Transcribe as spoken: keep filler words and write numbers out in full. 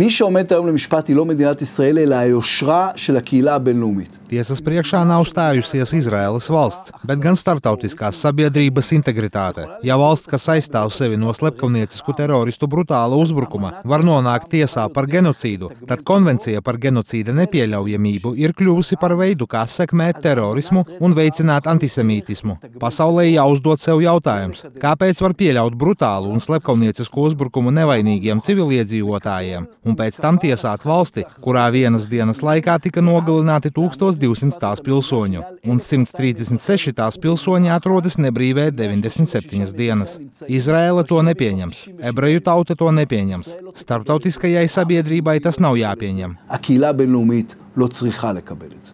מי שעומד היום למשפט היא לא מדינת ישראל, אלא היושרה של הקהילה הבינלאומית. Tiesas priekšā nav stājusies Izraēlas valsts, bet gan starptautiskās sabiedrības integritāte. Ja valsts, kas aizstāv sevi no slepkavniecisku teroristu brutāla uzbrukuma, var nonākt tiesā par genocīdu, tad konvencija par genocīda nepieļaujamību ir kļuvusi par veidu, kā sekmēt terorismu un veicināt antisemītismu. Pasaulē jāuzdod sev jautājums, kāpēc var pieļaut brutālu un slepkavniecisku uzbrukumu nevainīgiem civiliedzīvotājiem un pēc tam tiesāt valsti, kurā vienas dienas laikā tika nogalināti tūkstoš divsimt tās pilsoņu, un simts trīsdesmit seši tās pilsoņi atrodas nebrīvē deviņdesmit septiņas dienas. Izraēla to nepieņems, ebreju tauta to nepieņems. Starptautiskajai sabiedrībai tas nav jāpieņem. הקהילה הבינלאומית לא צריכה לקבל את זה.